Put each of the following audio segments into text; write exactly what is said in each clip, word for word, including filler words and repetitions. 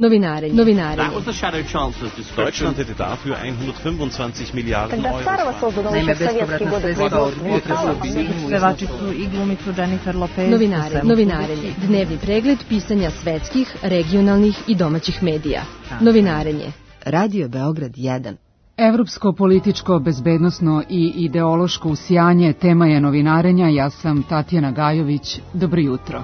Novinarenje. Novinarenje. Deutschland hätte dafür hundertfünfundzwanzig Miliarden Euro. Naime, bespovratna sredstva od upotrebu bi pevačicu i glumicu Jennifer Lopez. Novinarenje. Novinarenje. Dnevni pregled pisanja svetskih, regionalnih i domaćih medija. Novinarenje. Radio Beograd jedan. Evropsko, političko, bezbednosno i ideološko usijanje tema je novinarenja. Ja sam Tatjana Gajović. Dobro jutro.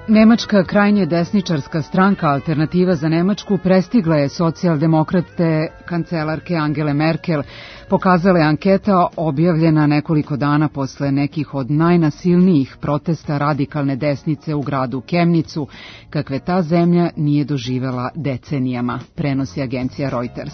Nemačka krajnje desničarska stranka Alternativa za Nemačku prestigla je socijaldemokrate kancelarke Angele Merkel, pokazala je anketa objavljena nekoliko dana posle nekih od najnasilnijih protesta radikalne desnice u gradu Kemnicu, kakve ta zemlja nije doživela decenijama, prenosi agencija Reuters.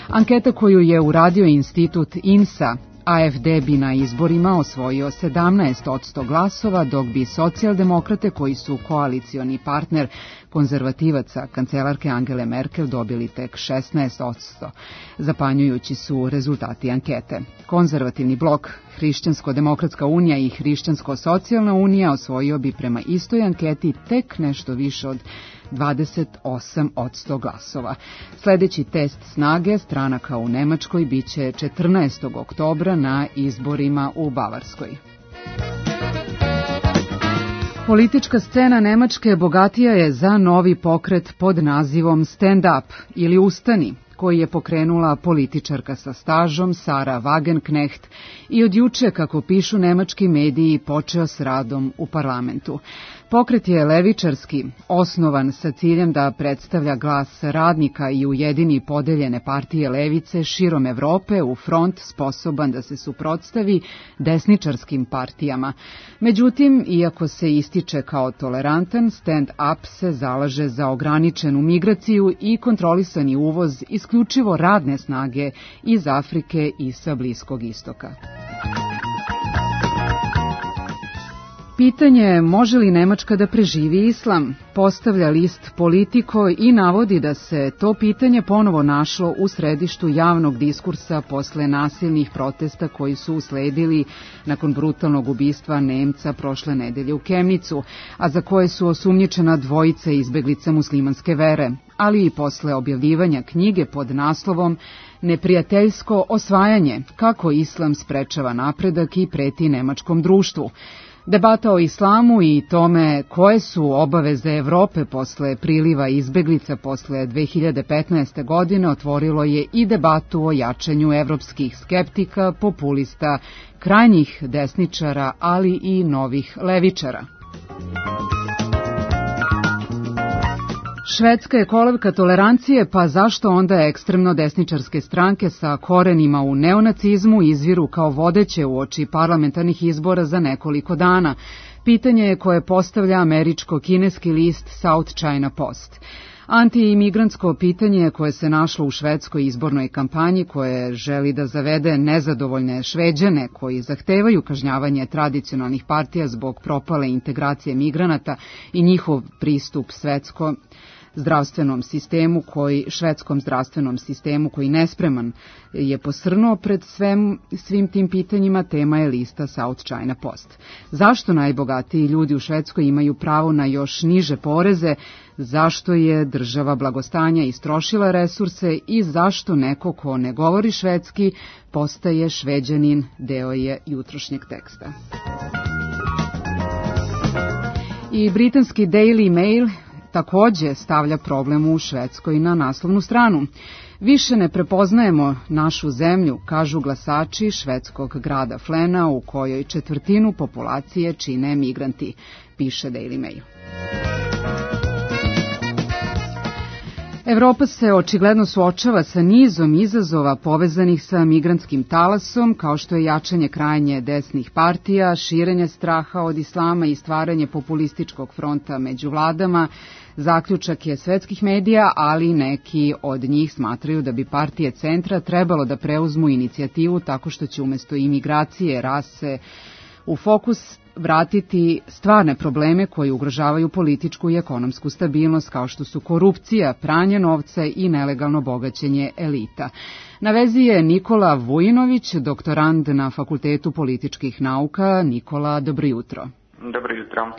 Anketa koju je uradio institut I N S A, A F D bi na izborima osvojio sedamnaest posto glasova, dok bi socijaldemokrate, koji su koalicioni partner konzervativaca kancelarke Angele Merkel, dobili tek šesnaest posto. Zapanjujući su rezultati ankete. Konzervativni blok, Hrišćansko-demokratska unija i Hrišćansko-socijalna unija osvojio bi prema istoj anketi tek nešto više od dvadeset osam posto glasova. Sljedeći test snage stranaka u Nemačkoj biće četrnaestog oktobra na izborima u Bavarskoj. Politička scena Nemačke bogatija je za novi pokret pod nazivom Stand Up ili Ustani, koji je pokrenula političarka sa stažom Sara Wagenknecht i od juče, kako pišu nemački mediji, počeo s radom u parlamentu. Pokret je levičarski, osnovan sa ciljem da predstavlja glas radnika i ujedini podeljene partije levice širom Evrope u front sposoban da se suprotstavi desničarskim partijama. Međutim, iako se ističe kao tolerantan, Stand Up se zalaže za ograničenu migraciju i kontrolisani uvoz isključivo radne snage iz Afrike i sa Bliskog istoka. Pitanje je može li Nemačka da preživi islam, postavlja list Politico i navodi da se to pitanje ponovo našlo u središtu javnog diskursa posle nasilnih protesta koji su usledili nakon brutalnog ubistva Nemca prošle nedelje u Kemnicu, a za koje su osumnjičena dvojica izbeglica muslimanske vere, ali i posle objavljivanja knjige pod naslovom Neprijateljsko osvajanje, kako islam sprečava napredak i preti nemačkom društvu. Debata o islamu i tome koje su obaveze Evrope posle priliva izbeglica posle dve hiljade petnaeste. godine otvorilo je i debatu o jačanju evropskih skeptika, populista, krajnjih desničara, ali i novih levičara. Švedska je kolevka tolerancije, pa zašto onda ekstremno desničarske stranke sa korenima u neonacizmu izviru kao vodeće uoči parlamentarnih izbora za nekoliko dana? Pitanje je koje postavlja američko-kineski list South China Post. Antiimigrantsko pitanje koje se našlo u švedskoj izbornoj kampanji, koje želi da zavede nezadovoljne Šveđane koji zahtevaju kažnjavanje tradicionalnih partija zbog propale integracije migranata i njihov pristup svetskom zdravstvenom sistemu, koji, švedskom zdravstvenom sistemu koji nespreman je posrnuo pred svem, svim tim pitanjima, tema je lista South China Post. Zašto najbogatiji ljudi u Švedskoj imaju pravo na još niže poreze, zašto je država blagostanja istrošila resurse i zašto neko ko ne govori švedski postaje Šveđanin, deo je jutrošnjeg teksta. I britanski Daily Mail takođe stavlja problem u Švedskoj na naslovnu stranu. Više ne prepoznajemo našu zemlju, kažu glasači švedskog grada Flena, u kojoj četvrtinu populacije čine migranti, piše Daily Mail. Evropa se očigledno suočava sa nizom izazova povezanih sa migrantskim talasom, kao što je jačanje krajnje desnih partija, širenje straha od islama i stvaranje populističkog fronta među vladama. Zaključak je svetskih medija, ali neki od njih smatraju da bi partije centra trebalo da preuzmu inicijativu tako što će umjesto imigracije, rase, u fokus vratiti stvarne probleme koji ugrožavaju političku i ekonomsku stabilnost, kao što su korupcija, pranje novca i nelegalno bogaćenje elita. Na vezi je Nikola Vujinović, doktorand na Fakultetu političkih nauka. Nikola, dobro jutro. Dobro jutro.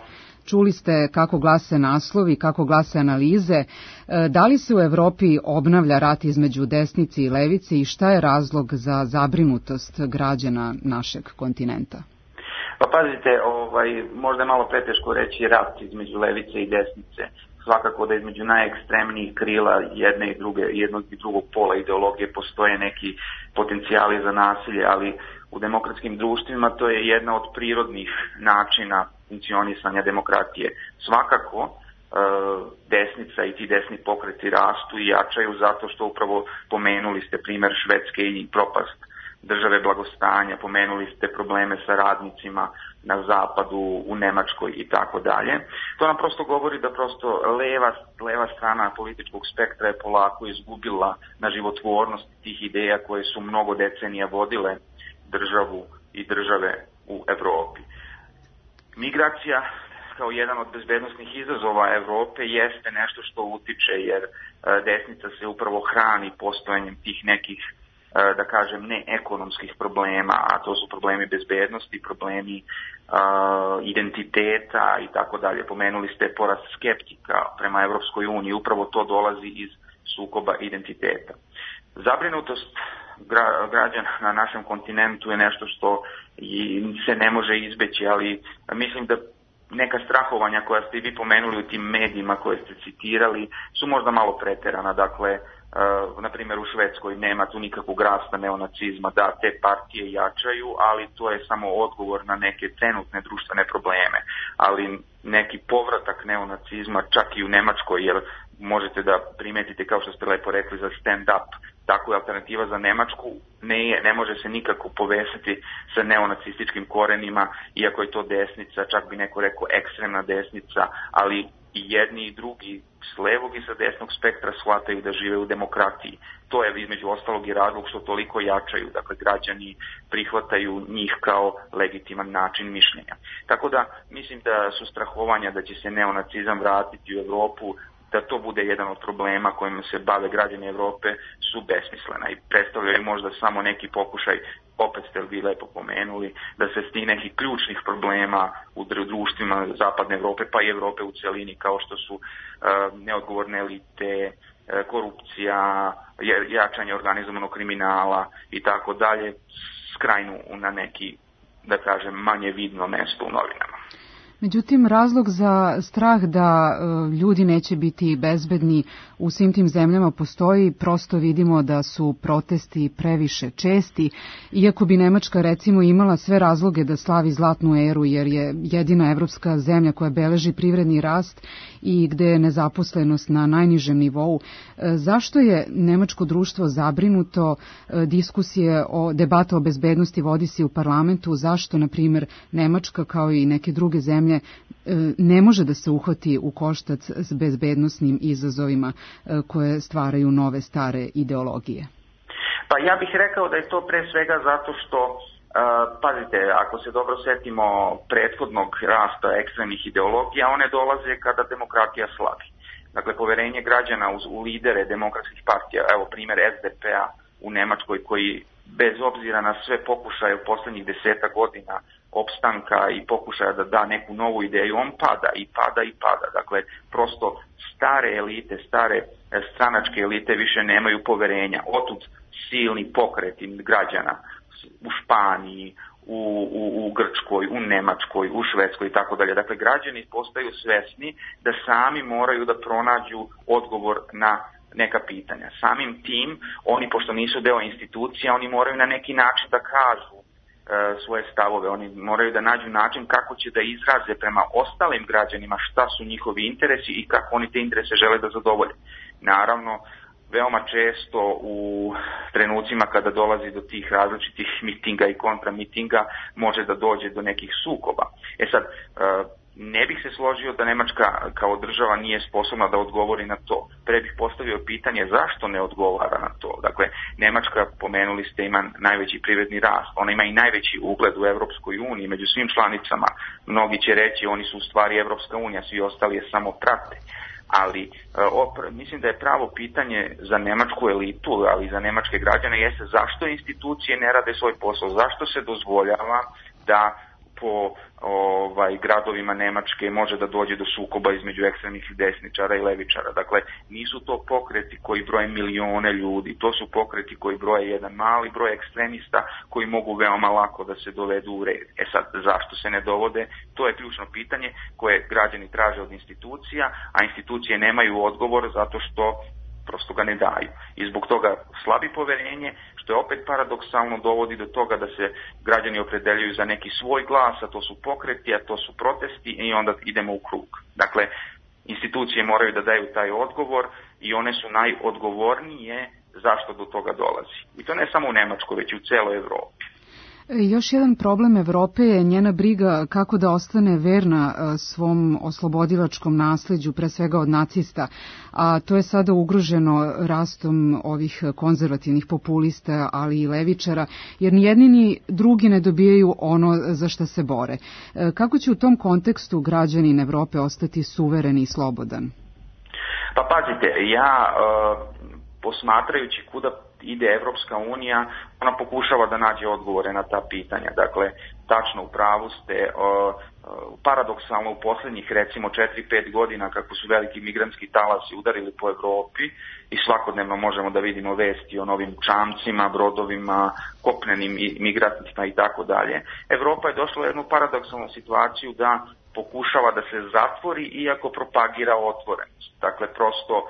Čuli ste kako glase naslovi, kako glase analize. Da li se u Evropi obnavlja rat između desnice i levice i šta je razlog za zabrinutost građana našeg kontinenta? Pa pazite, ovaj, možda je malo preteško reći rat između levice i desnice. Svakako da između najekstremnijih krila jedne i druge, jednog i drugog pola ideologije postoje neki potencijali za nasilje, ali u demokratskim društvima to je jedna od prirodnih načina funkcionisanja demokratije. Svakako e, desnica i ti desni pokreti rastu i jačaju zato što upravo pomenuli ste primer Švedske i propast države blagostanja, pomenuli ste probleme sa radnicima na zapadu, u Nemačkoj i tako dalje. To nam prosto govori da prosto leva, leva strana političkog spektra je polako izgubila na životvornosti tih ideja koje su mnogo decenija vodile državu i države u Evropi. Migracija kao jedan od bezbednosnih izazova Evrope jeste nešto što utiče, jer desnica se upravo hrani postojanjem tih nekih, da kažem, neekonomskih problema, a to su problemi bezbednosti, problemi uh, identiteta i tako dalje. Pomenuli ste porast skeptika prema Evropskoj uniji, upravo to dolazi iz sukoba identiteta. Zabrinutost gra, građana na našem kontinentu je nešto što i se ne može izbeći, ali mislim da neka strahovanja koja ste i vi pomenuli u tim medijima koje ste citirali su možda malo preterana. Dakle, Uh, na primjer u Švedskoj nema tu nikakvog rasta neonacizma, da te partije jačaju, ali to je samo odgovor na neke trenutne društvene probleme, ali neki povratak neonacizma čak i u Nemačkoj, jer možete da primetite, kao što ste lepo rekli za stand-up, tako je alternativa za Nemačku, ne, ne može se nikako povesiti sa neonacističkim korenima, iako je to desnica, čak bi neko rekao ekstremna desnica, ali i jedni i drugi s levog i sa desnog spektra shvataju da žive u demokratiji. To je između ostalog i razlog što toliko jačaju, dakle građani prihvataju njih kao legitiman način mišljenja. Tako da mislim da su strahovanja da će se neonacizam vratiti u Evropu, da to bude jedan od problema kojima se bave građani Evrope, su besmislena i predstavljaju možda samo neki pokušaj, opet ste vi lepo pomenuli, da se sti nekih ključnih problema u društvima zapadne Evrope, pa i Evrope u celini, kao što su uh, neodgovorne elite, uh, korupcija, jačanje organizovanog kriminala i tako dalje, skrajnu na neki, da kažem, manje vidno mesto u novinama. Međutim, razlog za strah da e, ljudi neće biti bezbedni u svim tim zemljama postoji. Prosto vidimo da su protesti previše česti, iako bi Nemačka recimo imala sve razloge da slavi zlatnu eru, jer je jedina evropska zemlja koja beleži privredni rast i gde je nezaposlenost na najnižem nivou. E, zašto je nemačko društvo zabrinuto? E, diskusije o debata o bezbednosti vodi se u parlamentu. Zašto, na primjer, Nemačka kao i neke druge zemlje ne može da se uhvati u koštac s bezbednosnim izazovima koje stvaraju nove stare ideologije? Pa ja bih rekao da je to pre svega zato što, uh, pazite, ako se dobro setimo prethodnog rasta ekstremnih ideologija, one dolaze kada demokratija slabi. Dakle, poverenje građana u, u lidere demokratskih partija, evo primjer S D P-a u Nemačkoj, koji bez obzira na sve pokušaje u poslednjih deseta godina opstanka i pokušaja da da neku novu ideju, on pada i pada i pada. Dakle, prosto stare elite, stare stranačke elite više nemaju poverenja. Otud silni pokreti građana u Španiji, u, u, u Grčkoj, u Nemačkoj, u Švedskoj i tako dalje. Dakle, građani postaju svesni da sami moraju da pronađu odgovor na neka pitanja. Samim tim, oni, pošto nisu deo institucija, oni moraju na neki način da kažu e, svoje stavove. Oni moraju da nađu način kako će da izraze prema ostalim građanima šta su njihovi interesi i kako oni te interese žele da zadovolje. Naravno, veoma često u trenucima kada dolazi do tih različitih mitinga i kontramitinga može da dođe do nekih sukoba. E sad, e, ne bih se složio da Nemačka kao država nije sposobna da odgovori na to. Pre bih postavio pitanje zašto ne odgovara na to. Dakle, Nemačka, pomenuli ste, ima najveći privredni rast. Ona ima i najveći ugled u Evropskoj uniji među svim članicama. Mnogi će reći oni su u stvari Evropska unija, svi ostali je samo prate. Ali opr, mislim da je pravo pitanje za nemačku elitu, ali i za nemačke građane jeste zašto institucije ne rade svoj posao, zašto se dozvoljava da po ovaj, gradovima Nemačke može da dođe do sukoba između ekstremnih desničara i levičara. Dakle, nisu to pokreti koji broje milione ljudi, to su pokreti koji broje jedan mali broj ekstremista koji mogu veoma lako da se dovedu u red. E sad, zašto se ne dovode? To je ključno pitanje koje građani traže od institucija, a institucije nemaju odgovor zato što prosto ga ne daju. I zbog toga slabi poverenje, što je opet paradoksalno dovodi do toga da se građani opredeljuju za neki svoj glas, a to su pokreti, a to su protesti i onda idemo u krug. Dakle, institucije moraju da daju taj odgovor i one su najodgovornije zašto do toga dolazi. I to ne samo u Nemačkoj, već i u celoj Evropi. Još jedan problem Evrope je njena briga kako da ostane verna svom oslobodilačkom nasleđu, pre svega od nacista, a to je sada ugroženo rastom ovih konzervativnih populista, ali i levičara, jer ni jedni ni drugi ne dobijaju ono za šta se bore. Kako će u tom kontekstu građanin Evrope ostati suveren i slobodan? Pa pazite, ja posmatrajući kuda ide Evropska unija, ona pokušava da nađe odgovore na ta pitanja. Dakle, tačno u pravu ste, paradoksalno u posljednjih recimo četiri pet godina kako su veliki migrantski talasi udarili po Evropi i svakodnevno možemo da vidimo vesti o novim čamcima, brodovima, kopnenim migrantima i tako dalje. Evropa je došla u jednu paradoksalnu situaciju da pokušava da se zatvori iako propagira otvorenost. Dakle, prosto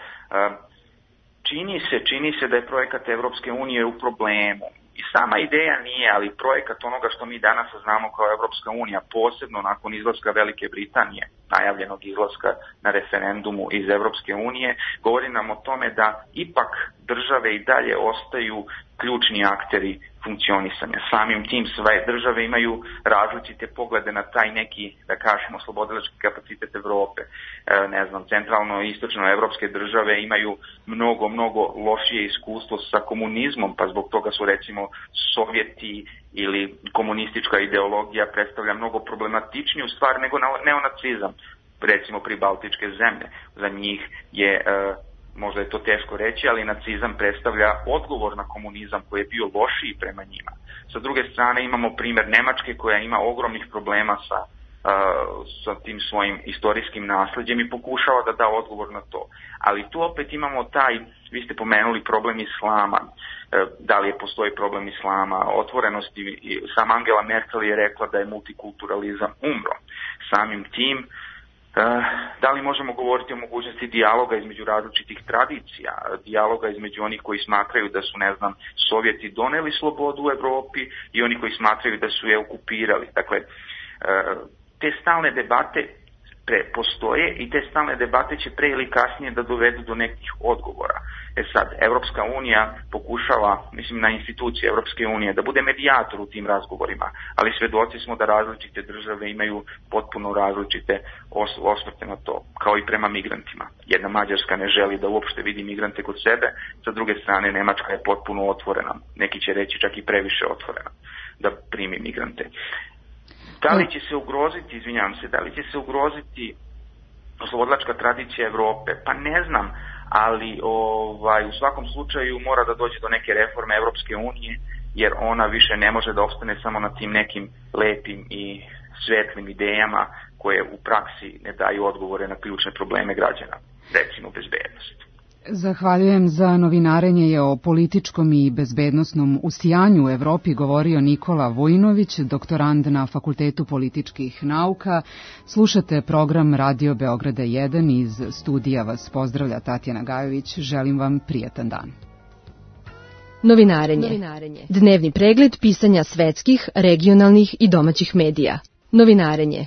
Čini se, čini se da je projekat Evropske unije u problemu. I sama ideja nije, ali projekat onoga što mi danas znamo kao Evropska unija, posebno nakon izlaska Velike Britanije, najavljenog izlaska na referendumu iz Evropske unije, govori nam o tome da ipak države i dalje ostaju ključni akteri funkcionisanja. Samim tim sve države imaju različite poglede na taj neki, da kažemo, oslobodilački kapacitet Evrope. E, ne znam, centralno i istočno evropske države imaju mnogo, mnogo lošije iskustvo sa komunizmom, pa zbog toga su recimo Sovjeti ili komunistička ideologija predstavlja mnogo problematičniju stvar nego neonacizam, recimo pri baltičke zemlje. Za njih je e, možda je to teško reći, ali nacizam predstavlja odgovor na komunizam koji je bio lošiji prema njima. Sa druge strane imamo primjer Nemačke koja ima ogromnih problema sa, uh, sa tim svojim istorijskim nasleđem i pokušava da da odgovor na to. Ali tu opet imamo taj, vi ste pomenuli problem islama, uh, da li je postoji problem islama, otvorenosti, sam Angela Merkel je rekla da je multikulturalizam umro. Samim tim da li možemo govoriti o mogućnosti dijaloga između različitih tradicija, dijaloga između onih koji smatraju da su, ne znam, Sovjeti doneli slobodu u Evropi i oni koji smatraju da su je okupirali. Dakle, te stalne debate postoje i te stalne debate će pre ili kasnije da dovedu do nekih odgovora. E sad, Evropska unija pokušava, mislim na institucije Evropske unije, da bude medijator u tim razgovorima, ali svedoci smo da različite države imaju potpuno različite osvrte na to, kao i prema migrantima. Jedna Mađarska ne želi da uopšte vidi migrante kod sebe, sa druge strane Nemačka je potpuno otvorena, neki će reći čak i previše otvorena da primi migrante. Da li će se ugroziti, izvinjavam se, da li će se ugroziti oslobodilačka tradicija Evrope? Pa ne znam, ali ovaj, u svakom slučaju mora da dođe do neke reforme Evropske unije, jer ona više ne može da opstane samo na tim nekim lepim i svetlim idejama koje u praksi ne daju odgovore na ključne probleme građana, recimo bezbednost. Zahvaljujem. Za novinarenje je o političkom i bezbednosnom usijanju u Evropi govorio Nikola Vojinović, doktorand na Fakultetu političkih nauka. Slušate program Radio Beograda jedan, iz studija vas pozdravlja Tatjana Gajović. Želim vam prijatan dan. Novinarenje. Novinarenje. Dnevni pregled pisanja svetskih, regionalnih i domaćih medija. Novinarenje.